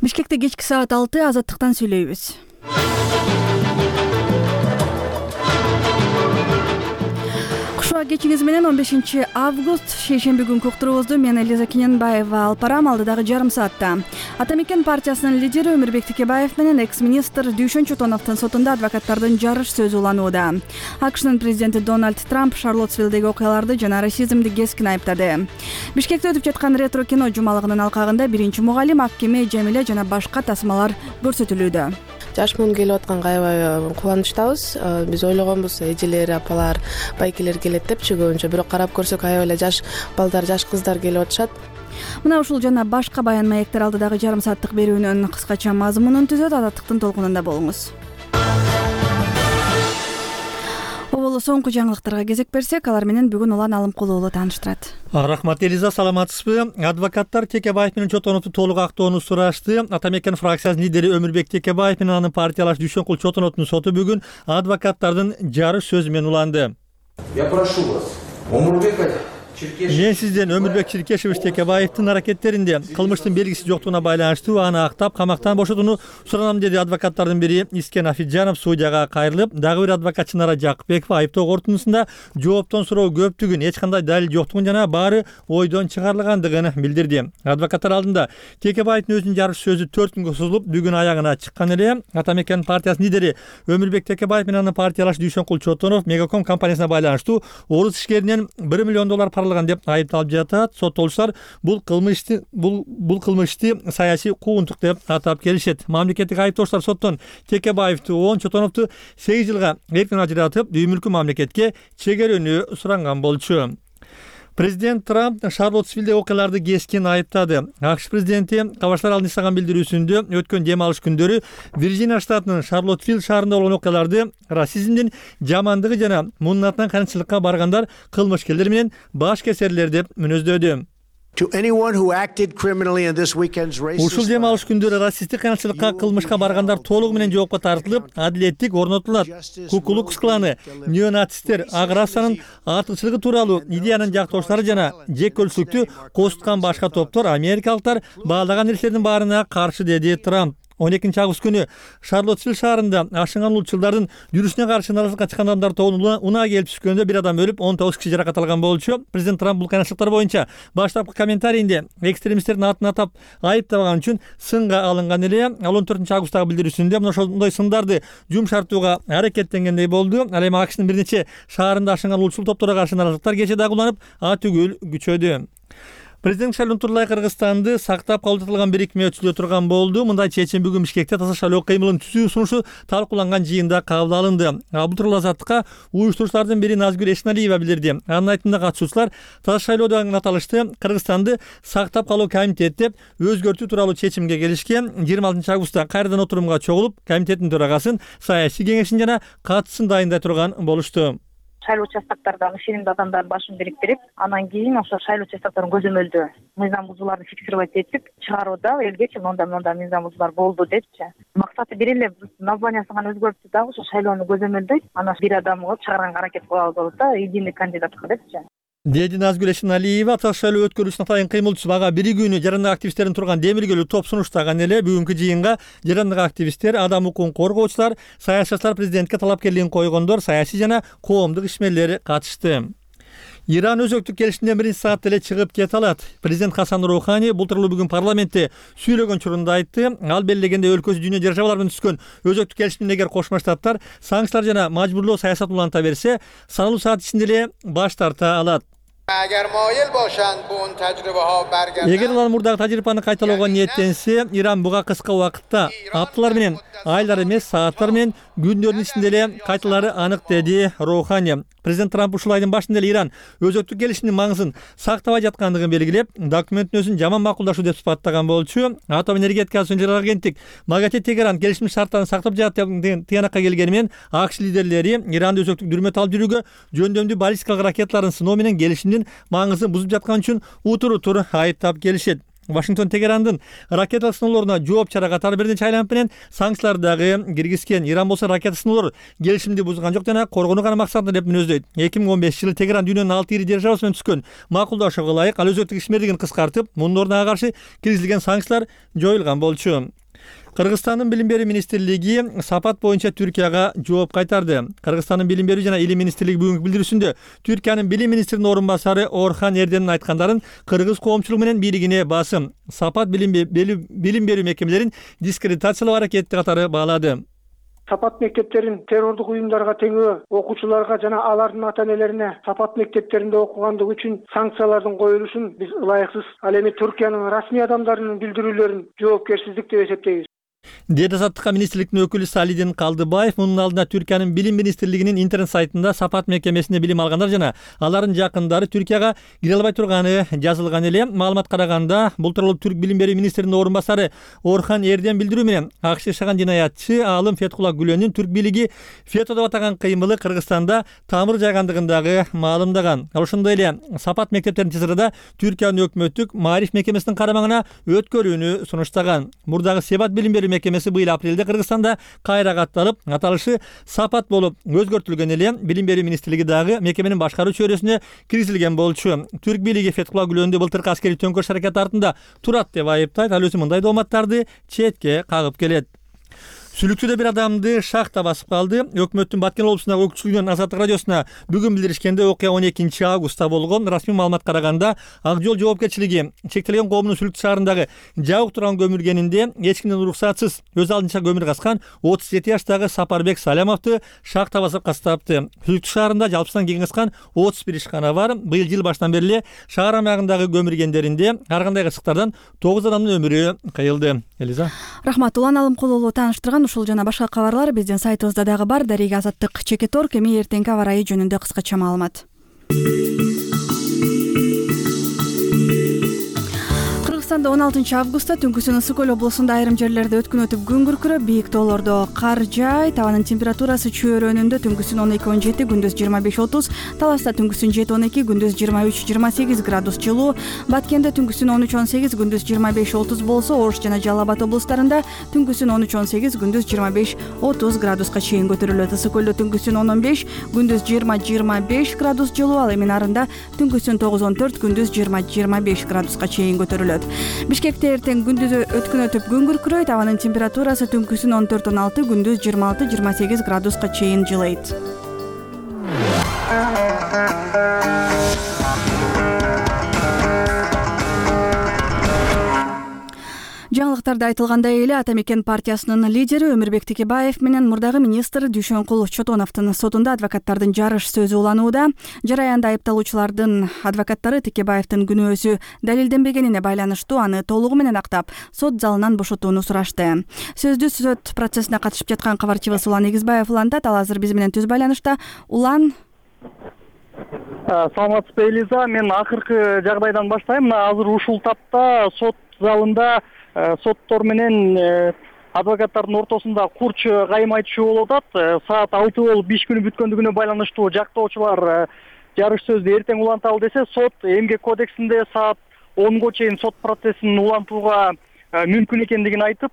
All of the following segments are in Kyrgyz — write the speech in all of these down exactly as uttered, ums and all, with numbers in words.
Бишкекте кечки саат алты азаттыктан сүйлөйбүз. Кушуа кечиңиз менен он бешинчи август шейшемби күнкү уктуруубузду мен Элиза Кененбаева алып барам. Алдыдагы жарым саатта Ата-Мекен партиясынын лидери Өмүрбек Текебаев менен экс-министр Дүйшөн Чотоновдун сотунда адвокаттардын жарыш сөзү уланууда. АКШнын президенти Дональд Трамп Шарлоттсвиллдеги окуяларды жана расизмди кескин айыптады. Бишкекте өтүп жаткан ретро кино жумалыгынын алкагында биринчи мугалим, ак кеме, Жамиле жана башка тасмалар көрсөтүлүүдө. жаш муун келип атканга аябай кубанычтабыз. Биз ойлогонбуз эжелер, апалар, байкелер келет депчи көбүнчө, бирок карап көрсөк аябай эле жаш балдар, жаш кыздар келип атышат. Мына ушул жана башка баян маектер алдыдагы жарым сааттык берүүнүн кыскача мазмунун түзөт. Азаттыктын толкунунда болуңуз. Оболу соңку жаңылыктарга кезек берсек, алар менен бүгүн Улан Алымкулуу тааныштырат. Рахмат Элиза, саламатсызбы? Адвокаттар Текебаев менен Чотоновду толук актоону сурашты. Ата-Мекен фракциясынын лидери Өмүрбек Текебаев менен анын партиялаш Дүйшөнкул Чотоновдун соту бүгүн адвокаттардын жарыш сөзү менен уланды. Я прошу вас, Өмүрбек Мен сизден Өмүрбек Чиркешевич Текебаевдин аракеттеринде кылмыштын белгиси жоктугуна байланыштуу аны актап камактан бошотууну суранам, деди адвокаттардын бири Искен Афиджанов судьяга кайрылып. Дагы бир адвокат Чынара Жакыпбекова айыптоо корутундусунда жооптон суроо көптүгүн, эч кандай далил жоктугун жана баары ойдон чыгарылгандыгын билдирди. Адвокаттар алдында Текебаевдин өзүнүн жарыш сөзү төрт күнгө созулуп, бүгүн аягына чыккан эле. Ата-Мекен партиясынын лидери Өмүрбек Текебаев менен анын партиялаш Дүйшөнкул Чотонов Мегаком компаниясына байланыштуу орус ишкеринен бир миллион доллар деп айыпталып жатат. Соттолуучулар бул кылмышты бул бул кылмышты саясий куугунтук деп атап келишет. Мамлекеттик айыптоочулар соттон Текебаевди он, Чотоновду сегиз жылга эркин ажыратып, үй мүлкү мамлекетке чегерүүнү суранган болчу. Президент Трамп Шарлоттсвиллдеги окуяларды кескин айыптады. АКШ президенти кабарчылар алдына жасаган билдирүүсүндө өткөн дем алыш күндөрү Вирджиния штатынын Шарлоттсвилл шаарында болгон окуяларды расизмдин, жамандыгы жана мунун атынан канчылыкка баргандар кылмышкерлер менен баш кесерлер деп мүнөздөдү. Ушул дем алыш күндөрү расисттик канчылыкка, кылмышка баргандар толугу менен жоопко тартылып, адилеттик орнотулат. Куклукс кланы, неонацисттер, ак расанын артыкчылыгы тууралуу идеянын жактоочулары жана жеккөлчүлүктү козуткан башка топтор, америкалыктар баалаган нерселердин баарына каршы, деди Трамп. он экинчи август күнү Шарлоттсвилл шаарында ашынган улутчулдардын жүрүшүнө каршы наразылыкка чыккан адамдар тобуна унаа келип түшкөндө бир адам өлүп, он тогуз киши жаракат алган болчу. Президент Трамп бул кыйынчылыктар боюнча баштапкы комментарийинде экстремисттердин атын атап айыптабаган үчүн сынга алынган эле. Ал он төртүнчү августтагы билдирүүсүндө мына ошондой сындарды жумшартууга аракеттенгендей болду. Ал эми АКШнын бир нече шаарында ашынган улутчул топторго каршы наразылыктар кечээ дагы уланып, атүгүл күчөдү. Президент Шайлоо Турлай Кыргызстанды сактап калуу татылган бирикме өтүлө турган болду. Мындай чечим бүгүн Бишкекте таза шайлоо кыймылын түзүү сунушу талкууланган жыйында кабыл алынды. Бул тууралуу Азаттыкка уюштуруучулардын бири Назгүл Эшналиева билдирди. Анын айтымында катышуучулар таза шайлоодон аталышты Кыргызстанды сактап калуу комитет деп өзгөртүү тууралуу чечимге келишкен. жыйырма алтынчы августта кайрадан отурумга чогулуп, комитеттин төрагасын, саясий кеңешин жана катысын дайындай турган болушту. Шайлоо участоктарда ишенимдүү адамдардын башын бириктирип, анан кийин ошо шайлоо участокторун көзөмөлдөө мыйзам бузууларды фиксировать этип чыгарууда элгечи монда монда мыйзам бузуулар болду депчи. Максаты бир эле, названиясын гана өзгөртүп дагы ошо шайлоону көзөмөлдөйт, анан бир адам кылып чыгарганга аракет кылабыз болот да, единый кандидатка депчи. Деди Назгүл Эшналиева. Таза шайлоо өткөрүүсүнө атайын кыймылчу ага бир күнү жарандык активисттердин турган демиргөлүү топ сунуштаган эле. Бүгүнкү жыйынга жарандык активисттер, адам укугун коргоочулар, саясатчылар, президентке талапкерлигин койгондор, саясий жана коомдук ишмерлер катышты. Иран өзөктүк келишимден биринчи саатта эле чыгып кете алат. Президент Хасан Роухани бул тууралуу бүгүн парламентте сүйлөгөн учурунда айтты. Ал белгилегенде өлкөсү дүйнө державалары менен түзгөн өзөктүк келишимден эгер Кошмо Штаттар санкциялар жана мажбурлоо саясатын уланта берсе, саналуу саат ичинде эле баш тарта алат. Эгер алар мурдагы тажрыйбаны кайталоого ниеттенсе, Иран буга кыска убакытта апталар менен, айлар эмес, сааттар менен, күндөрдүн ичинде эле кайталары анык, деди Роухани. Президент Трамп ушул айдын башында эле Иран өзөктүк келишимдин маңызын сактабай жаткандыгын белгилеп, документтин өзүн жаман макулдашуу деп сыпаттаган болчу. Атом энергетикасы жөнүндө агенттик МАГАТЭ Тегеран келишим шарттарын сактап жатат деп тыянакка келгени менен АКШ лидерлери Иранды өзөктүк дүрмөт алып жүрүүгө жөндөмдүү баллистикалык ракеталарын сыноо менен келишимдин маңызын бузуп жаткан үчүн утур-утур айыптап келишет. Вашингтон Тегерандын ракеталык сыноолоруна жооп чара катары бир нече айланып менен санкциялар дагы киргизген. Иран болсо ракета сыноолор келишимди бузган жок жана коргонуу гана максатында деп мүнөздөйт. эки миң он бешинчи жылы Тегеран дүйнөнүн алты ири державасы менен түзгөн макулдашууга ылайык ал өзөктүк ишмердигин кыскартып, мунун ордуна ага каршы киргизилген санкциялар жоюлган болчу. Кыргызстандын билим берүү министрлиги сапат боюнча Түркияга жооп кайтарды. Кыргызстандын билим берүү жана илим министрлиги бүгүнкү билдирүүсүндө Түркиянын билим министринин орун басары Орхан Эрденин айткандарын кыргыз коомчулугу менен бийлигине басым, сапат билим берүү мекемелерин дискредитациялоо аракети катары баалады. Сапат мектептерин террордук уюмдарга теңөө окуучуларга жана алардын ата-энелерине сапат мектептеринде окугандыгы үчүн санкциялардын коюлушун биз ылайыксыз, ал эми Түркиянын расмий адамдарынын билдирүүлөрүн жоопкерсиздик деп эсептейбиз. Деди азаттыкка министрликтин өкүлү Салидин Калдыбаев мунун алдында Түркиянын билим министрлигинин интернет сайтында сапат мекемесинде билим алгандар жана алардын жакындары Түркияга кире албай турганы жазылган эле. Маалымат караганда, бул тууралуу Түрк билим берүү министринин орун басары Орхан Эрден билдирүү менен АКШ жашаган жинаятчы Алым Феткулла Гүлөнүн түрк бийлиги фето деп атаган кыймылы Кыргызстанда тамыр жайгандыгын дагы маалымдаган. Ошондой эле сапат мектептердин тезирада Түркиянын өкмөттүк Маариф мекемесинин карамагына өткөрүүнү сунуштаган. Мурдагы Себат билим берүү мекемеси быйыл апрелде Кыргызстанда кайра катталып, аталышы сапат болуп өзгөртүлгөн эле. Билим берүү министрлиги дагы мекеменин башкаруу чөйрөсүнө киргизилген болчу. Түрк бийлиги Феткулла Гүлөндү былтыркы аскерий төңкөрүш аракети артында турат деп айыптайт. Ал өзү мындай дооматтарды четке кагып келет. Сүлүктүдө бир адамды шахта басып калды. Өкмөттүн Баткен облусундагы өкүлчүлүгүнүн Азаттык радиосуна бүгүн билдиришкенде окуя он экинчи августта болгон. Расмий маалымат караганда, Ак жол жоопкерчилиги чектелген коомдун Сүлүктү шаарындагы жабык турган көмүлгенинде эч кимден уруксатсыз өз алдынча көмүр казкан отуз жети жаштагы Сапарбек Салямовду шахта басып кастапты. Сүлүктү шаарында жалпысынан кең кызган отуз бир ишкана бар. Быйыл жыл баштан бери эле шаар аймагындагы көмүргендеринде ар кандай кырсыктардан тогуз адамдын өмүрү кыйылды. Элиза. Рахмат. Улан Алымкулуулу тааныштырган ушул жана башка кабарлар биздин сайтыбызда дагы бар. Дарига Азаттык Чекетор кеми эртеңки аба ырайы жөнүндө кыскача маалымат. Кыргызстанда он алтынчы августта түнкүсүн Ысык Көл облусунда айрым жерлерде өткүн өтүп күн күркүрөп, бийик тоолордо кар жай, табанын температурасы чөйрөнүндө түнкүсүн он эки он жети, күндүз жыйырма беш отуз, Таласта түнкүсүн жети он эки, күндүз жыйырма үч жыйырма сегиз градус жылуу, Баткенде түнкүсүн он үч он сегиз, күндүз жыйырма беш отуз болсо, Ош жана Жалал Абад облустарында түнкүсүн он үч он сегиз, күндүз жыйырма беш отуз градуска чейин көтөрүлөт. Ысык Көлдө түнкүсүн он он беш, күндүз жыйырма жыйырма беш градус жылуу, ал эми Нарында түнкүсүн тогуз он төрт, күндүз жыйырма жыйырма беш градуска чейин көтөрүлөт. Бишкекте эртең күндүз өткүн өтүп күн күркүрөйт, абанын температурасы түнкүсүн он төрт он алты, күндүз жыйырма алты жыйырма сегиз градуска чейин жылыйт. Жаңылыктарда айтылгандай эле Ата Мекен партиясынын лидери Өмүрбек Текебаев менен мурдагы министр Дүйшөнкул Чотоновдун сотунда адвокаттардын жарыш сөзү уланууда. Жараянда айыпталуучулардын адвокаттары Текебаевдин күнөөсү далилденбегенине байланыштуу аны толугу менен актап, сот залынан бошотууну сурашты. Сөздү сот процессине катышып жаткан кабарчыбыз Улан Эгизбаев улантат. Ал азыр биз менен түз байланышта. Улан, саламатсызбы Элиза, мен акыркы жагдайдан баштайм. Мына азыр ушул тапта сот залында соттор менен адвокаттардын ортосунда курч кайым айтышуу болуп атат. Саат алты болуп иш күнү бүткөндүгүнө байланыштуу жактоочулар жарыш сөздү эртең уланталы десе, сот эмгек кодексинде саат онго чейин сот процессин улантууга мүмкүн экендигин айтып,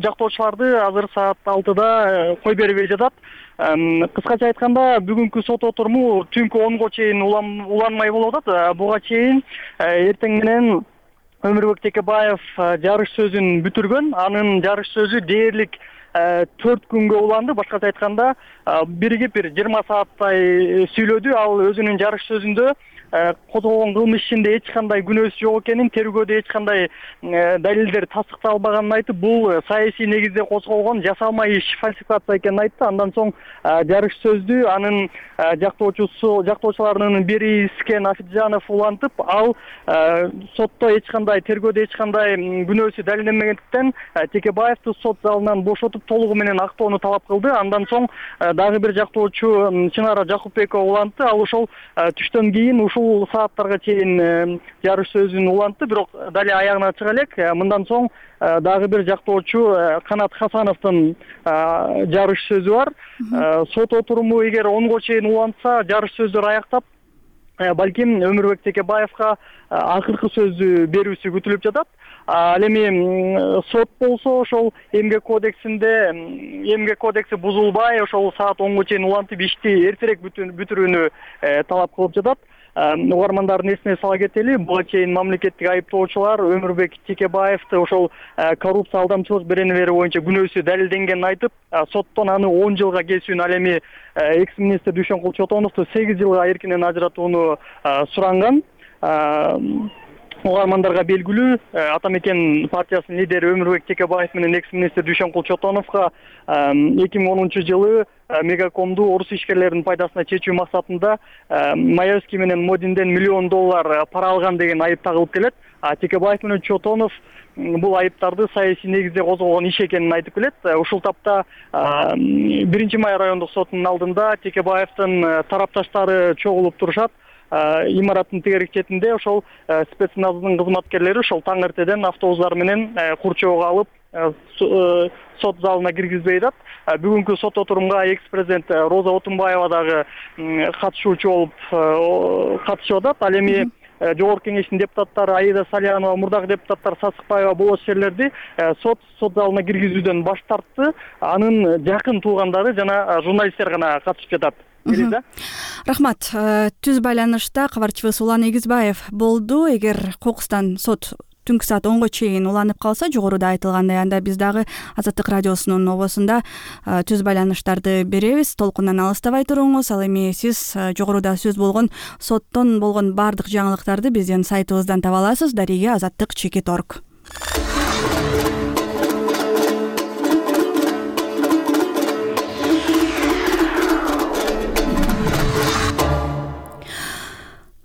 жактоочуларды азыр саат алтыда кой бербей жатат. Кыскача айтканда, бүгүнкү сот отуруму түнкү онго чейин уланмай болуп атат. Буга чейин эртең менен Өмүрбек Текебаев жарыш сөзүн бүтүргөн. Анын жарыш сөзү дээрлик төрт күнгө уланды. Башкача айтканда, биригип бир жыйырма сааттай сүйлөдү. Ал өзүнүн жарыш сөзүндө козголгон кылмыш ишинде эч кандай күнөөсү жок экенин, тергөөдө эч кандай далилдер тастыкталбаганын айтып, бул саясий негизде козголгон жасалма иш, фальсификация экенин айтты. Андан соң жарыш сөздү анын жактоочусу, жактоочуларынын бири Искен Афиджанов улантып, ал сотто эч кандай, тергөөдө эч кандай күнөөсү далилденбегендиктен Текебаевди сот залынан бошотуп, толугу менен актоону талап кылды. Андан соң дагы бир жактоочу Чынара Жакупбекова улантты. Ал ошол түштөн кийин ушул сааттарга чейин жарыш сөзүн улантты, бирок дали аягына чыга элек. Мындан соң дагы бир жактоочу Канат Хасановдун жарыш сөзү бар. Сот отуруму эгер онго чейин улантса, жарыш сөздөр аяктап, балким Өмүрбек Текебаевга акыркы сөздү берүүсү күтүлүп жатат. Ал эми сот болсо ошол эмгек кодексинде эмгек кодекси бузулбай ошол саат онго чейин улантып ишти эртерээк бүтүрүүнү талап кылып жатат. Угармандардын эсине сала кетели, буга чейин мамлекеттик айыптоочулар Өмүрбек Текебаевди ошол коррупция алдамчылык беренелери боюнча күнөөсү далилденгенин айтып, соттон аны он жылга кесүүнү, ал эми экс-министр Дүйшөнкул Чотоновду сегиз жылга эркинен ажыратууну суранган. Угармандарга белгилүү, Ата мекен партиясынын лидери Өмүрбек Текебаев менен экс-министр Дүйшөнкул Чотоновго эки миң онунчу жылы Мегакомду орус ишкерлеринин пайдасына чечүү максатында Маевский менен Модинден миллион доллар пара алган деген айып тагылып келет. Текебаев менен Чотонов бул айыптарды саясий негизде козголгон иш экенин айтып келет. Ушул тапта биринчи май райондук сотунун алдында Текебаевдин тарапташтары чогулуп турушат. Имараттын тегерек четинде ошол спецназынын кызматкерлери ошол таң эртеден автобустар менен курчоого алып сот залына киргизбей атат. Бүгүнкү сот отурумга экс-президент Роза Отунбаева дагы катышуучу болуп катышып атат. Ал эми Жогорку кеңештин депутаттары Аида Салянова, мурдагы депутаттар Сасыкбаева болот шерлерди сот сот залына киргизүүдөн баш тартты. Анын жакын туугандары жана журналисттер гана катышып жатат. Рахмат. Түз байланышта кабарчыбыз Улан Эгизбаев болду. Эгер кокустан сот түнкү саат онго чейин уланып калса, жогоруда айтылгандай, анда биз дагы Азаттык радиосунун обосунда түз байланыштарды беребиз. Толкундан алыстабай туруңуз. Ал эми сиз жогоруда сөз болгон соттон болгон бардык жаңылыктарды биздин сайтыбыздан таба аласыз. Дарига азаттык чекит орг.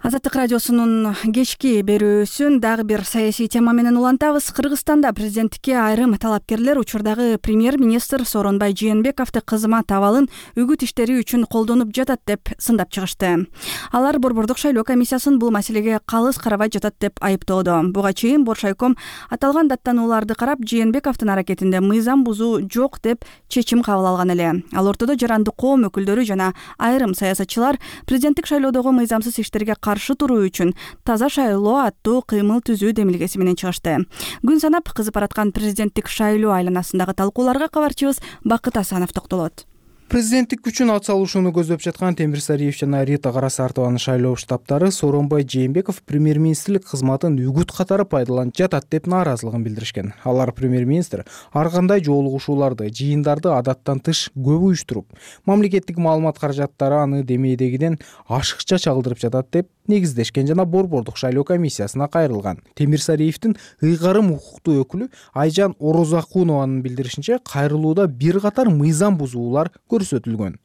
Азаттык радиосунун кечки берүүсүн дагы бир саясий тема менен улантабыз. Кыргызстанда президенттикке айрым талапкерлер учурдагы премьер-министр Сооронбай Жээнбековду кызмат абалын үгүт иштери үчүн колдонуп жатат деп сындап чыгышты. Алар Борбордук шайлоо комиссиясын бул маселеге калыс карабай жатат деп айыптоодо. Буга чейин Боршайком аталган даттанууларды карап, Жээнбековдун аракетинде мыйзам бузуу жок деп чечим кабыл алган эле. Ал ортодо жарандык коом өкүлдөрү жана айрым саясатчылар президенттик шайлоодогу мыйзамсыз иштерге каршы туруу үчүн таза шайлоо аттуу кыймыл түзүү демилгеси менен чыгышты. Күн санап кызып бараткан президенттик шайлоо айланасындагы талкууларга кабарчыбыз Бакыт Асанов токтолот. Президенттик күчүн ат салышууну көздөп жаткан Темир Сариев жана Рита Карасартованын шайлоо штабтары Сооронбай Жээнбеков премьер-министрлик кызматын үгүт катары пайдаланып жатат деп нааразылыгын билдиришкен. Алар премьер-министр ар кандай жолугушууларды, жыйындарды адаттан тыш көп уюштуруп, мамлекеттик маалымат каражаттары аны демейдегиден ашыкча чагылдырып жатат деп негиздешкен жана Борбордук шайлоо комиссиясына кайрылган. Темир Сариевдин ыйгарым укуктуу өкүлү Айжан Орозакунованын билдиришинче, кайрылууда бир катар мыйзам бузуулар көрсөтүлгөн.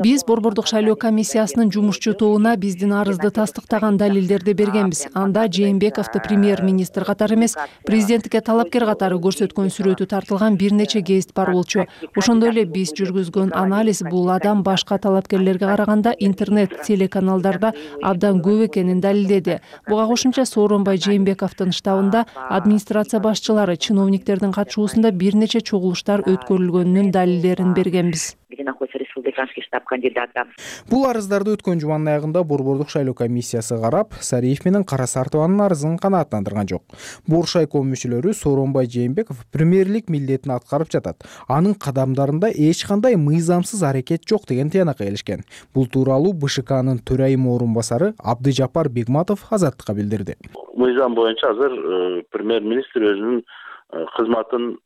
Биз Борбордук шайлоо комиссиясынын жумушчу тобуна биздин арызды тастыктаган далилдерди бергенбиз. Анда Жээнбековду премьер-министр катары эмес, президенттикке талапкер катары көрсөткөн сүрөтү тартылган бир нече гезит бар болчу. Ошондой эле биз жүргүзгөн анализ бул адам башка талапкерлерге караганда интернет телеканалдарда абдан көп экенин далилдеди. Буга кошумча Сооронбай Жээнбековдун штабында администрация башчылары, чиновниктердин катышуусунда бир нече чогулуштар өткөрүлгөнүнүн далилдерин бергенбиз. Бул арыздарды өткөн жуманын аягында Борбордук шайлоо комиссиясы карап, Сариев менен Карасартованын арызын канааттандырган жок. Боршайком мүчөлөрү Сооронбай Жээнбеков премьерлик милдетин аткарып жатат. Анын кадамдарында эч кандай мыйзамсыз аракет жок деген тыянакка келишкен. Бул тууралуу БШКнын төрайым орун басары Абдыжапар Бегматов Азаттыкка билдирди. Мыйзам боюнча азыр премьер-министр өзүнүн кызматын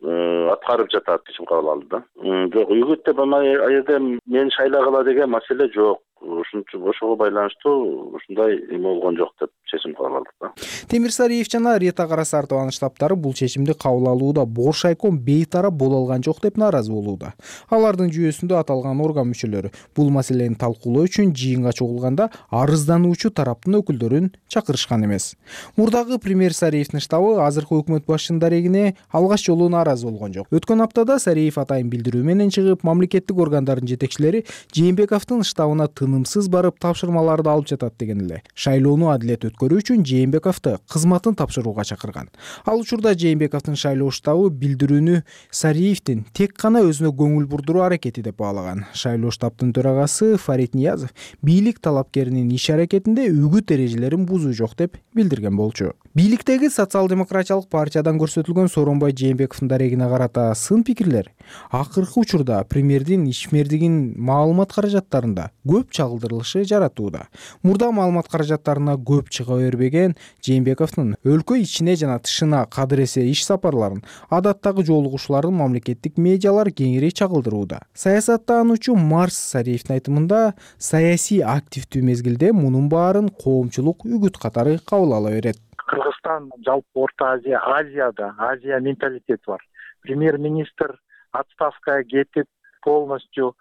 аткарып жатат чечим кабыл алды да. Жок, үгүт деп ана жерде мен шайлагыла деген маселе жок. Ушунчу ошого байланыштуу ушундай эме болгон жок деп чечим кабыл алдык да. Темир Сариев жана Рита Карасартованын штабтары бул чечимди кабыл алууда Боршайком бейтарап боло алган жок деп нааразы болууда. Алардын жүйөсүндө аталган орган мүчөлөрү бул маселени талкуулоо үчүн жыйынга чогулганда арыздануучу тараптын өкүлдөрүн чакырышкан эмес. Мурдагы премьер Сариевдин штабы азыркы өкмөт башчынын дарегине алгач жолу нааразы болгон жок. Өткөн аптада Сариев атайын билдирүү менен чыгып, мамлекеттик органдардын жетекчилери Жээнбековдун штабына тынымсыз барып тапшырмаларды алып жатат деген эле. Шайлоону адилет өткөрүү үчүн Жээнбековду кызматын тапшырууга чакырган. Ал учурда Жээнбековдун шайлоо штабы билдирүүнү Сариевдин тек гана өзүнө көңүл бурдуруу аракети деп баалаган. Шайлоо штабтын төрагасы Фарид Ниязов бийлик талапкеринин иш аракетинде үгүт эрежелерин бузуу жок деп билдирген болчу. Бийликтеги социал-демократиялык партиядан көрсөтүлгөн Сооронбай Жээнбековдун дарегине карата сын пикирлер акыркы учурда премьердин ишмердигин маалымат каражаттарында көп чагылдырылышы жаратууда. Мурда маалымат каражаттарына көп чыга бербеген Жээнбековдун өлкө ичине жана тышына кадыр эсе иш сапарларын адаттагы жолугушууларын мамлекеттик медиалар кеңири чагылдырууда. Саясаттануучу Марс Сариевдин айтымында саясий активдүү мезгилде мунун баарын коомчулук үгүт катары кабыл ала берет. Кыргызстан жалпы Орто Азия, Азияда Азия менталитети бар. Премьер-министр отставкага кетип полностью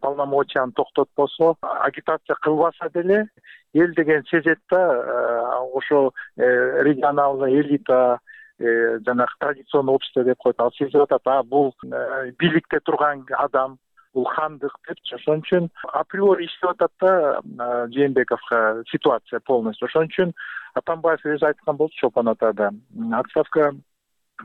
полномочияны токтотпосо, агитация кылбаса деле эл деген сезет да, ошо регионалдык элита жанагы традиционный общество деп коет. Ал сезип атат, а бул бийликте турган адам, бул хандык депчи. Ошон үчүн априори иштеп атат да Жээнбековго ситуация полностью. Ошон үчүн Атамбаев өзү айткан болчу Чолпон атада, отставка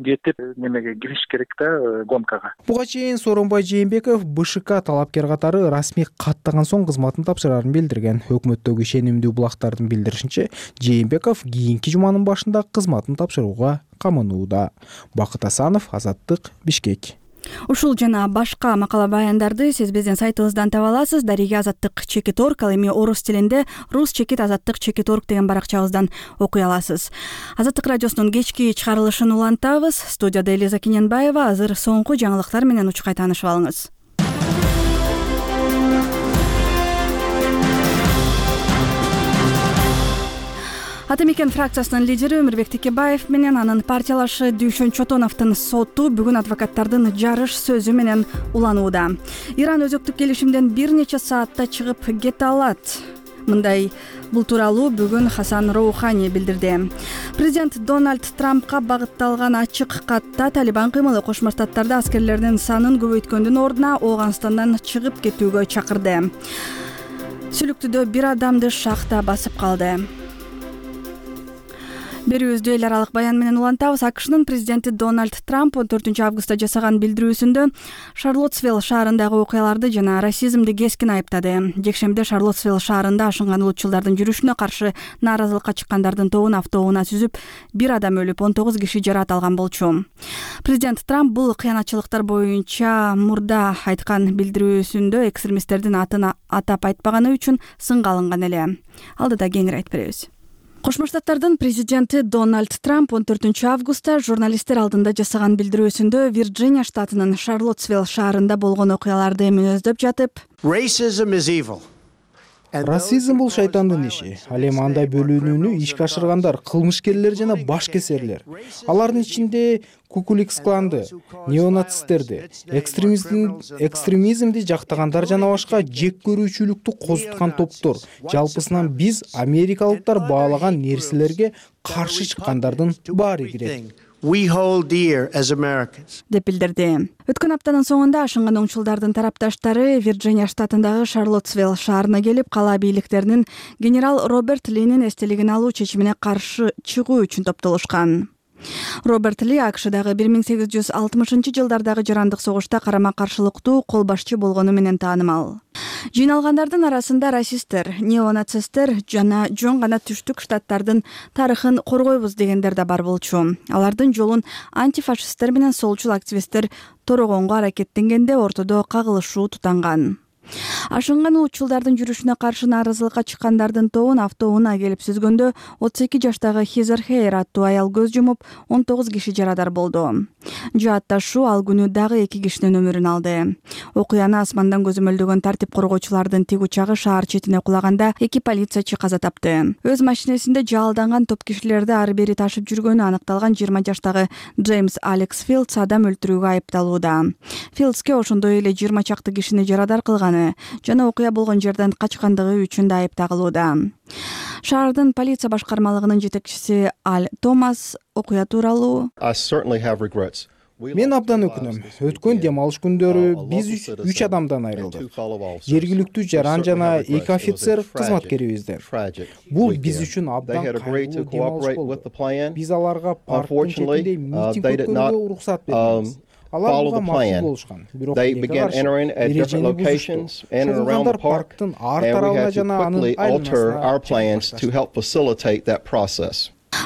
кетип немеге кириш керек да, гонкага. Буга чейин Сооронбай Жээнбеков БШК талапкер катары расмий каттаган соң кызматын тапшырарын билдирген. Өкмөттөгү ишенимдүү булактардын билдиришинче, Жээнбеков кийинки жуманын башында кызматын тапшырууга каманууда. Бакыт Асанов, Азаттык, Бишкек. Ушул жана башка макала баяндарды сиз биздин сайтыбыздан таба аласыз. Дарига Азаттык чекит орг, ал эми орус тилинде рус чекит азаттык чекит орг деген баракчабыздан окуй аласыз. Азаттык радиосунун кечки чыгарылышын улантабыз. Студияда Элиза Кененбаева. Азыр соңку жаңылыктар менен учкай таанышып алыңыз. Ата мекен фракциясынын лидери Өмүрбек Текебаев менен анын партиялашы Дүйшөн Чотоновдун соту бүгүн адвокаттардын жарыш сөзү менен уланууда. Иран өзөктүк келишимден бир нече саатта чыгып кете алат. Мындай бул тууралуу бүгүн Хасан Роухани билдирди. Президент Дональд Трампка багытталган ачык катта Талибан кыймылы Кошмо Штаттарда аскерлердин санын көбөйткөндүн ордуна Ооганстандан чыгып кетүүгө чакырды. Сүлүктүдө бир адамды шахта басып калды. Берүүбүздү эл аралык баян менен улантабыз. АКШнын президенти Дональд Трамп он төртүнчү августта жасаган билдирүүсүндө Шарлоттсвилл шаарындагы окуяларды жана расизмди кескин айыптады. Жекшембиде Шарлоттсвилл шаарында ашынган улутчулдардын жүрүшүнө каршы нааразылыкка чыккандардын тобун автоунаа сүзүп, бир адам өлүп, он тогуз киши жаракат алган болчу. Президент Трамп бул кыянатчылыктар боюнча мурда айткан билдирүүсүндө экстремисттердин атын атап айтпаганы үчүн сынга алынган эле. Алдыда кеңири айтып беребиз. Кошмо Штаттардын президенти Дональд Трамп он төртүнчү августта журналисттер алдында жасаган билдирүүсүндө Вирджиния штатынын Шарлоттсвилл шаарында болгон окуяларды мүнөздөп жатып, расизм бул шайтандын иши. Ал эми андай бөлүнүүнү ишке ашыргандар кылмышкерлер жана башкесерлер. Алардын ичинде Кукуликс кланды, неонацисттерди, экстремизмди жактагандар жана башка жек көрүүчүлүктү козуткан топтор. Жалпысынан биз америкалыктар баалаган нерселерге каршы чыккандардын баары кирет. We hold dear as Americans. деп билдирди. Өткөн аптанын соңунда ашынган оңчулдардын тарапташтары Вирджиния штатындагы Шарлоттсвилл шаарына келип, кала бийликтеринин генерал Роберт Линин эстелигин алуу чечимине каршы чыгуу үчүн топтолушкан. Роберт Ли АКШдагы бир миң сегиз жүз алтымышынчы жылдардагы жарандык согушта карама-каршылыктуу кол башчы болгону менен таанымал. Жыйналгандардын арасында расисттер, неонацисттер жана жөн гана түштүк штаттардын тарыхын коргойбуз дегендер да бар болчу. Алардын жолун антифашисттер менен солчул активисттер торогонго аракеттенгенде ортодо кагылышуу тутанган. Ашынган улутчулдардын жүрүшүнө каршы нааразылыкка чыккандардын тобун автоунаа келип сүзгөндө отуз эки жаштагы Хизер Хейр аттуу аял көз жумуп, он тогуз киши жарадар болду. Жаатташуу ал күнү дагы эки кишинин өмүрүн алды. Окуяны асмандан көзөмөлдөгөн тартип коргоочулардын тиг учагы шаар четине кулаганда эки полициячы каза тапты. Өз машинесинде жалданган топ кишилерди ары бери ташып жүргөнү аныкталган жыйырма жаштагы Джеймс Алекс Филдс адам өлтүрүүгө айыпталууда. Филдске ошондой эле жыйырма чакты кишини жарадар кылган жана окуя болгон жерден качкандыгы үчүн да айып тагылууда. Шаардын полиция башкармалыгынын жетекчиси Аль Томас окуя тууралуу Мен абдан өкүнөм. Өткөн дем алыш күндөрү биз үч адамдан айрылдык. Жергиликтүү жаран жана эки офицер кызматкерибизден. Бул биз үчүн абдан кайгылуу дем алыш болду. Биз аларга парктын четинде митинг өткөрүүгө уруксат бердик. Алар буга макул болушкан. Бирок эрежени бузушту. Шогулгандар парктын ар тарабына жана анын айланасына.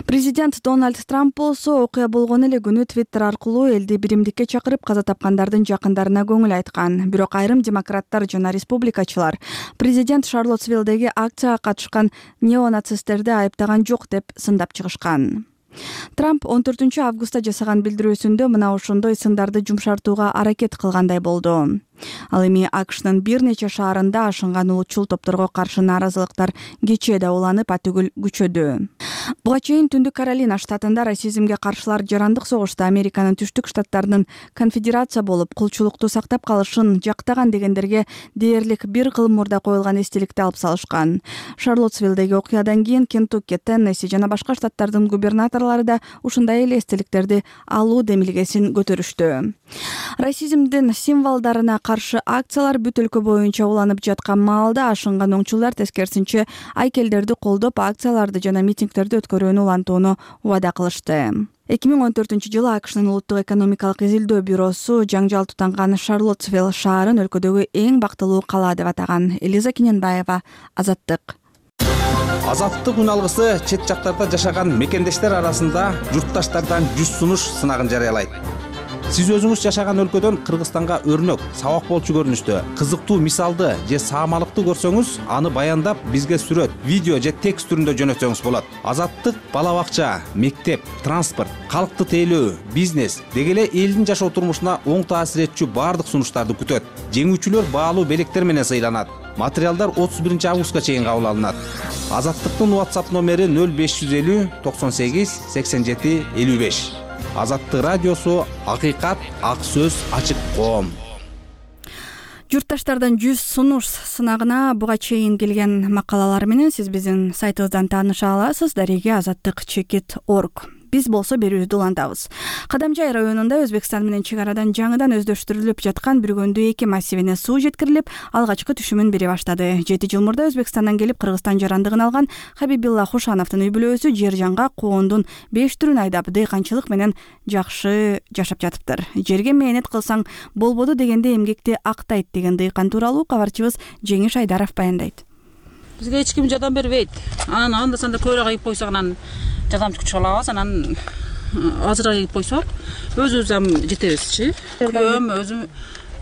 Президент Дональд Трамп болсо окуя болгон эле күнү Твиттер аркылуу элди биримдикке чакырып каза тапкандардын жакындарына көңүл айткан. Бирок айрым демократтар жана республикачылар президент Шарлоттсвиллдеги акцияга катышкан неонацисттерди айыптаган жок деп сындап чыгышкан. Трамп он төртүнчү августта жасаган билдирүүсүндө мына ошондой сындарды жумшартууга аракет кылгандай болду. Ал эми АКШнын бир нече шаарында ашынган улутчул топторго каршы нааразылыктар кечээ да уланып атүгүл күчөдү. Буга чейин Түндүк Каролина штатында расизмге каршылар жарандык согушта Американын түштүк штаттарынын конфедерация болуп кулчулукту сактап калышын жактаган дегендерге дээрлик бир кыл мурда коюлган эстеликти алып салышкан. Шарлоттсвиллдеги окуядан кийин Кентукки, Теннесси жана башка штаттардын губернаторлору да ушундай эле эстеликтерди алуу демилгесин көтөрүштү. Расизмдин символдоруна каршы акциялар бүт өлкө боюнча уланып жаткан маалда ашынган оңчулар тескерисинче айкелдерди колдоп акцияларды жана митингтерди өткөрүүнү улантууну убада кылышты. эки миң он төртүнчү жылы АКШнын улуттук экономикалык изилдөө бюросу жаңжал тутанган Шарлоттсвилл шаарын өлкөдөгү эң бактылуу кала деп атаган. Элиза Кененбаева, Азаттык. Азаттык үн алгысы чет жактарда жашаган мекендештер арасында журтташтардан жүз сунуш сынагын жарыялайт. Сиз өзүңүз жашаган өлкөдөн Кыргызстанга өрнөк, сабак болчу көрүнүштө кызыктуу мисалды же саамалыкты көрсөңүз, аны баяндап бизге сүрөт, видео же текст түрүндө жөнөтсөңүз болот. Азаттык бала бакча, мектеп, транспорт, калкты тейлөө, бизнес деги эле элдин жашоо турмушуна оң таасир этчү баардык сунуштарды күтөт. Жеңүүчүлөр баалуу белектер менен сыйланат. Материалдар отуз биринчи августка чейин кабыл алынат. Азаттыктын WhatsApp номери нөл беш жүз элүү токсон сегиз сексен жети элүү беш. Азаттык радиосу, акыйкат, ак сөз, ачык коом. Журтташтардан жүз сунуш сынагына буга чейин келген макалалар менен сиз биздин сайтыбыздан тааныша аласыз. Дареги азаттык чекит точка орг. Биз болсо берүүбүздү улантабыз. Кадамжай районунда Өзбекстан менен чек арадан жаңыдан өздөштүрүлүп жаткан Бүргөндүү эки массивине суу жеткирилип, алгачкы түшүмүн бере баштады. жети жыл мурда Өзбекстандан келип Кыргызстан жарандыгын алган Хабибилла Хушановдун үй бүлөсү жер жаңга коондун беш түрүн айдап, дыйканчылык менен жакшы жашап жатыптыр. Жерге мээнет кылсаң болбоду дегенде эмгекти актайт деген дыйкан тууралуу кабарчыбыз Жеңиш Айдаров баяндайт. Бизге эч ким жардам бербейт. Анан анда санда көйрөк айып койсок, анан жардамчы күч алабыз, анан азыраак айып койсок, өзүбүз ам жетебизчи. Күйөөм өзү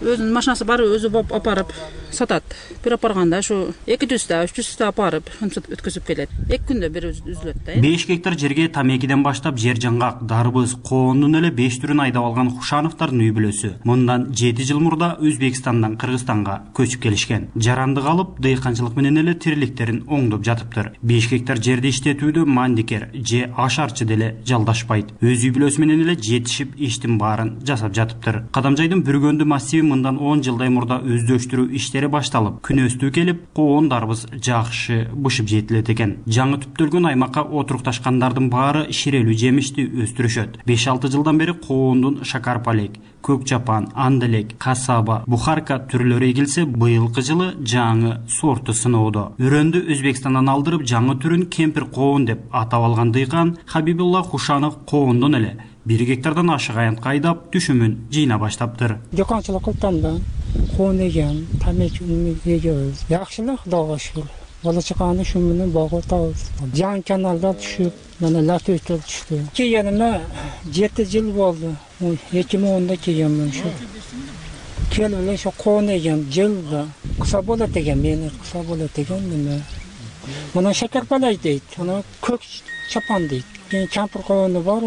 өзүнүн машинасы бар, өзү апарып сатат. Бир апарганда ушу эки жүз та үч жүз та апарып өткөзүп келет. эки күндө бир үзүлөт да. беш гектар жерге тамекиден баштап жер жаңгак, дарбыз, коондун эле беш түрүн айдап алган Хушановдордун үй бүлөсү мындан жети жыл мурда Өзбекстандан Кыргызстанга көчүп келишкен. Жарандык алып, дыйканчылык менен эле тириликтерин оңдоп жатыптыр. беш гектар жерди иштетүүдө мандикер же ашарчы деле жалдашпайт. Өз үй бүлөсү менен эле жетишип иштин баарын жасап жатыптыр. Кадамжайдын Бүргөндү массиви мындан он жылдай мурда өздөштүрүү иштери башталып, күнөстүү келип, коон дарбыз жакшы бышып жетилет экен. Жаңы түптөлгөн аймакка отурукташкандардын баары ширелүү жемишти өстүрүшөт. беш алты жылдан бери коондун шакарпалек, көк жапан, анделек, касаба, бухарка түрлөрү эгилсе, быйылкы жылы жаңы сорту сыноодо. Үрөндү Өзбекстандан алдырып, жаңы түрүн кемпир коон деп атап алган дыйкан Хабибулла Хушанов коондон эле бир гектардан ашык аянтка айдап түшүмүн жыйна баштаптыр. Дыйканчылык кылдым да, коон эгем, тамеки эгебиз. Жакшылык, Кудайга шүгүр. Бала чаканы ушу менен багып атабыз. Жаңы каналда түшүп, мына латөйтөр түштү. Келгениме жети жыл болду. эки миң онда келгенмин ушу. Келип эле ушу коон эгем, жылда кыса болот экен, мени кыса болот экен неме. Мына шакарпалай дейт, ана көк чапан дейт. Кемпир коону бар,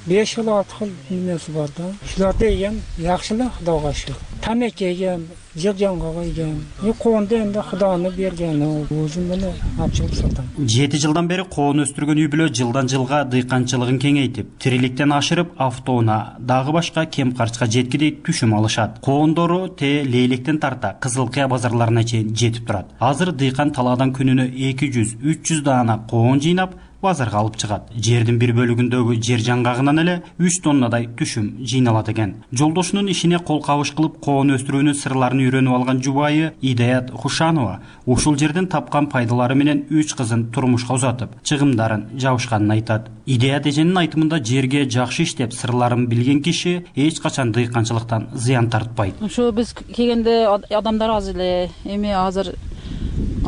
беш жыл алты жыл немеси бар да. Ушуларды эгем, жакшылык, Кудайга шүгүр. Тамеки эгем, жер жаңгага эгем. И коонду энди Кудайны бергени, өзүм менен апчылып сатам. жети жылдан бери коон өстүргөн үй бүлө жылдан жылга дыйканчылыгын кеңейтип, тириликтен ашырып, автоунаа, дагы башка кем карчка жеткидей түшүм алышат. Коондору те Лейлектен тарта Кызыл Кыя базарларына чейин жетип турат. Азыр дыйкан талаадан күнүнө эки жүз үч жүз даана коон жыйнап, базарга алып чыгат. Жердин бир бөлүгүндөгү жер жаңгагынан эле үч тоннадай түшүм жыйналат экен. Жолдошунун ишине кол кабыш кылып коон өстүрүүнүн сырларын үйрөнүп алган жубайы Идаят Хушанова ушул жерден тапкан пайдалары менен үч кызын турмушка узатып, чыгымдарын жабышканын айтат. Идаят эженин айтымында жерге жакшы иштеп, сырларын билген киши эч качан дыйканчылыктан зыян тартпайт. Ушу биз келгенде адамдар аз эле, эми азыр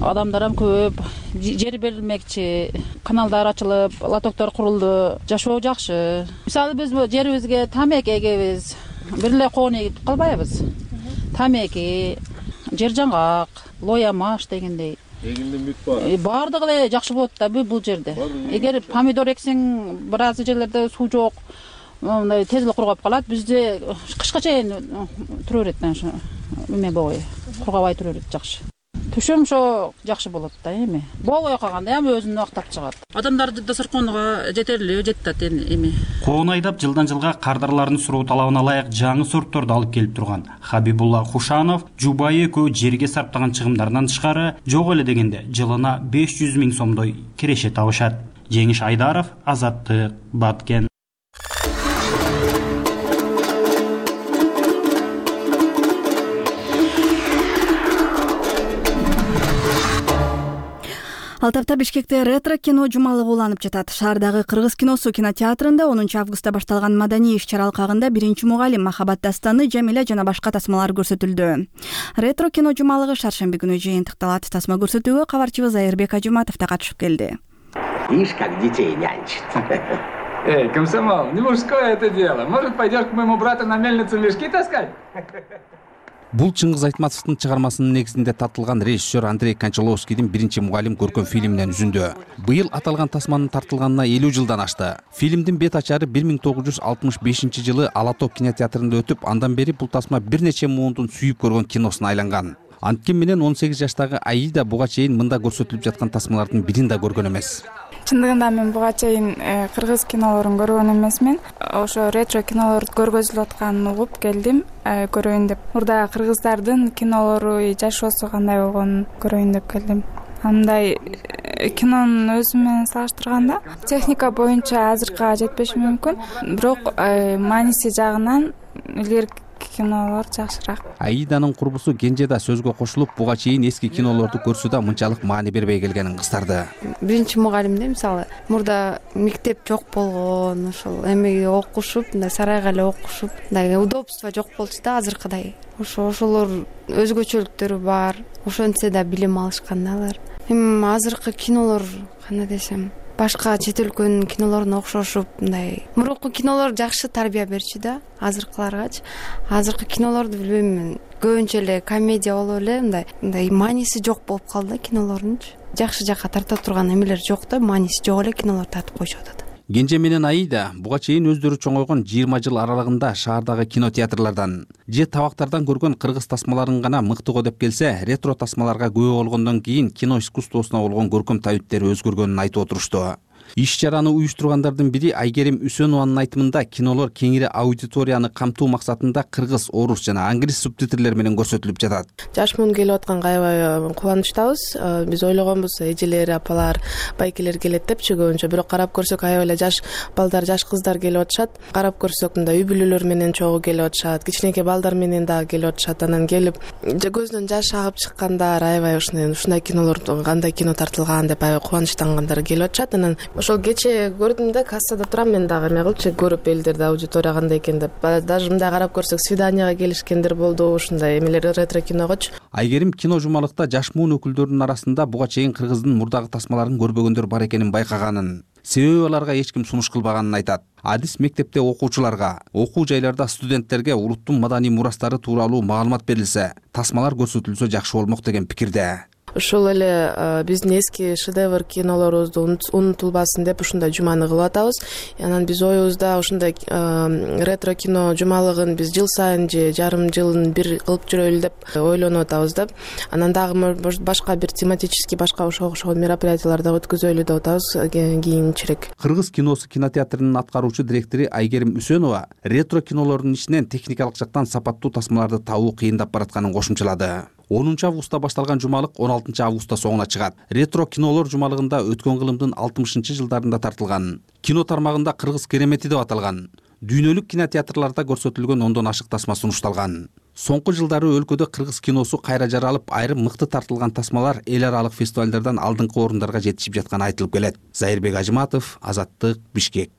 адамдар ham көп, жер берилмекчи, каналдар ачылып, лотоктор курулду, жашоо жакшы. Мисалы биз бу жерибизге тамеки эгебиз, бир эле коон эгип калбайбыз. Тамеки, жер жаңгак, лоя маш дегендей. Эгинде үмүт бар. Бардыгы эле жакшы болот да бул жерде. Эгер помидор эксең, бир аз жерлерде суу жок, мындай тез эле кургап калат. Бизде кышка чейин тура берет да ошо эме болбой, кургабай тура берет жакшы. Түшүм ошо жакшы болот да эми. Болбой калганда эми өзүн актап чыгат. Адамдар дасарконуга жетерлүү жетет эми. Коон айдап жылдан жылга кардарлардын суроо талабына ылайык жаңы сортторду алып келип турган Хабибулла Хушанов жубайы экөө жерге сарптаган чыгымдарынан тышкары жок эле дегенде жылына беш жүз миң сомдой киреше табышат. Жеңиш Айдаров, Азаттык, Баткен. Ал тапта Бишкекте ретро кино жумалыгы уланып жатат. Шаардагы Кыргыз киносу кинотеатрында онунчу августта башталган маданий иш-чара алкагында биринчи мугалим Махабат дастаны, Жамиля жана башка тасмалар көрсөтүлдү. Ретро кино жумалыгы шаршемби күнү жыйынтыкталат. Тасма көрсөтүүгө кабарчыбыз Айырбек Ажуматов да катышып келди. Ишь, как детей нянчит. Эй, комсомол, не мужское это дело. Может, пойдешь к моему брату на мельницу мешки таскать? Бул Чыңгыз Айтматовдун чыгармасынын негизинде тартылган режиссер Андрей Кончаловскийдин биринчи мугалим көркөм фильминен үзүндү. Быйыл аталган тасманын тартылганына элүү жылдан ашты. Фильмдин бет ачары бир миң тогуз жүз алтымыш бешинчи жылы Ала топ кинотеатрында өтүп, андан бери бул тасма бир нече муундун сүйүп көргөн киносуна айланган. Анткени менен он сегиз жаштагы Аида буга чейин мында көрсөтүлүп жаткан тасмалардын бирин да көргөн эмес. Чындыгында мен буга чейин кыргыз кинолорун көргөн эмесмин. Ошо ретро кинолор көргөзүлүп атканын угуп келдим, көрөйүн деп. Мурда кыргыздардын кинолору, жашоосу кандай болгонун көрөйүн деп келдим. Андай кинонун өзү менен салыштырганда техника боюнча азыркыга жетпеши мүмкүн, бирок мааниси жагынан илгерки кинолор жакшыраак. Аиданын курбусу Кенже да сөзгө кошулуп, буга чейин эски кинолорду көрсө да мынчалык маани бербей келгенин кыздарды. Биринчи мугалимде мисалы мурда мектеп жок болгон, ошол эми окушуп, мындай сарайга эле окушуп, мындай удобство жок болчу да азыркыдай. Ошо ошолор өзгөчөлүктөрү бар. Ошентсе да билим алышкан да алар. Эми азыркы кинолор кандай десем, башка чет өлкөнүн кинолоруна окшошуп, мындай мурунку кинолор жакшы тарбия берчү да, азыркыларгачы. Азыркы кинолорду билбейм мен, көбүнчө эле комедия болуп эле, мындай мындай мааниси жок болуп калды да кинолорунчу. Жакшы жакка тарта турган эмелер жок да, мааниси жок эле кинолор тартып коюшуп атат. Кенже менен Аида буга чейин өздөрү чоңойгон жыйырма жыл аралыгында шаардагы кинотеатрлардан же табактардан көргөн кыргыз тасмаларын гана мыктыгы деп келсе, ретро тасмаларга күбө болгондон кийин кино искусствосуна болгон көркөм табиттери өзгөргөнүн айтып отурушту. Иш-чараны уюштургандардын бири Айгерим Үсөнованын айтымында кинолор кеңири аудиторияны камтуу максатында кыргыз, орус жана англис субтитрлер менен көрсөтүлүп жатат. Жаш муун келип атканга аябай кубанычтабыз. Биз ойлогонбуз эжелер, апалар, байкелер келет депчи көбүнчө, бирок карап көрсөк аябай эле жаш балдар, жаш кыздар келип атышат. Карап көрсөк мындай үй бүлөлөр менен чогуу келип атышат, кичинекей балдар менен дагы келип атышат. Анан келип көзүнөн жаш агып чыккандар, аябай ушундай ушундай кинолор, кандай кино тартылган деп аябай кубанычтангандар келип атышат. Анан ошол кече көрдүм да, кассада турам мен дагы эме кылчу, көрүп элдерди, аудитория кандай экен деп. Даже мындай карап көрсөк свиданияга келишкендер болду, ушундай эмелер ретро киногочу. Айгерим кино жумалыкта жаш муун өкүлдөрүнүн арасында буга чейин кыргыздын мурдагы тасмаларын көрбөгөндөр бар экенин байкаганын, себеби аларга эч ким сунуш кылбаганын айтат. Адис мектепте окуучуларга, окуу жайларда студенттерге улуттун маданий мурастары тууралуу маалымат берилсе, тасмалар көрсөтүлсө жакшы болмок деген пикирде. Ушул эле биздин эски шедевр кинолорубузду унутулбасын деп ушундай жуманы кылып атабыз. Анан биз оюбузда ушундай ретро кино жумалыгын биз жыл сайын же жарым жылын бир кылып жүрөлү деп ойлонуп атабыз да. Анан дагы башка бир тематический башка ошого окшогон мероприятиялар да өткөзөлү деп атабыз кийинчерээк. Кыргыз киносу кинотеатрынын аткаруучу директору Айгерим Үсөнова ретро кинолордун ичинен техникалык жактан сапаттуу тасмаларды табуу кыйындап баратканын кошумчалады. онунчу августта башталган жумалык он алтынчы августта соңуна чыгат. Ретро кинолор жумалыгында өткөн кылымдын алтымышынчы жылдарында тартылган кино тармагында Кыргыз керемети деп аталган дүйнөлүк кинотеатрларда көрсөтүлгөн ондон ашык тасма сунушталган. Соңку жылдары өлкөдө кыргыз киносу кайра жаралып, айрым мыкты тартылган тасмалар эл аралык фестивалдардан алдыңкы орундарга жетишип жатканы айтылып келет. Зайырбек Ажыматов, Азаттык, Бишкек.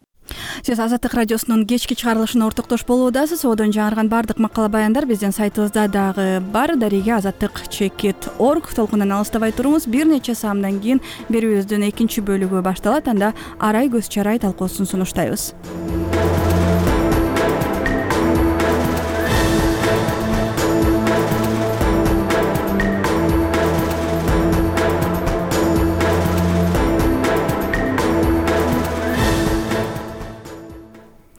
Сиз Азаттык радиосунун кечки чыгарылышына ортоктош болуудасыз. Одон жаңырган бардык макала баяндар биздин сайтыбызда дагы бар. Дареге азаттык чекит точка орг толкундан алыстабай туруңуз. Бир нече саамдан кийин берүүбүздүн экинчи бөлүгү башталат. Анда арай көз чарай талкуусун сунуштайбыз.